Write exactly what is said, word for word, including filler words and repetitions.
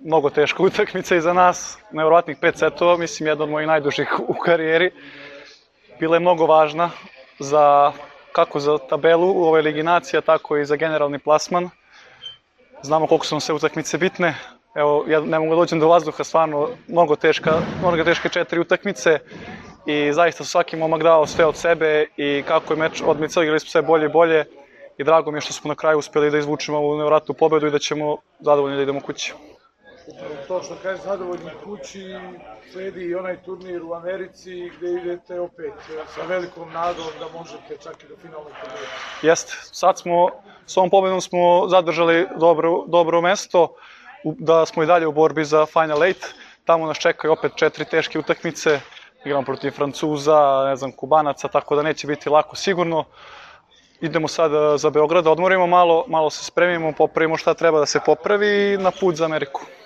mnogo teška utakmica iza nas, nevjerovatnih pet setova, mislim jedna od mojih najdužih u karijeri. Bila je mnogo važna za, kako za tabelu u ovoj Ligi nacija, tako i za generalni plasman. Znamo koliko su nam sve utakmice bitne. Evo, ja ne mogu da dođem do vazduha, stvarno mnogo teška, mnogo teške četiri utakmice i zaista su svaki momak dao sve od sebe i kako je meč odmicao, igrali smo sve bolje i bolje i drago mi je što smo na kraju uspjeli da izvučemo ovu nevjerojatnu pobedu i da ćemo zadovoljni da idemo kući. To što kažeš zadovoljni kući, sledi i onaj turnir u Americi gde idete opet sa velikom nadom da možete čak i do finalnog pobjede. Jeste, sad smo, s ovom pobedom smo zadržali dobro, dobro mesto, da smo i dalje u borbi za Final Eight. Tamo nas čekaju opet četiri teške utakmice, igramo protiv Francuza, ne znam, Kubanaca, tako da neće biti lako sigurno. Idemo sad za Beograd, odmorimo malo, malo se spremimo, popravimo šta treba da se popravi i na put za Ameriku.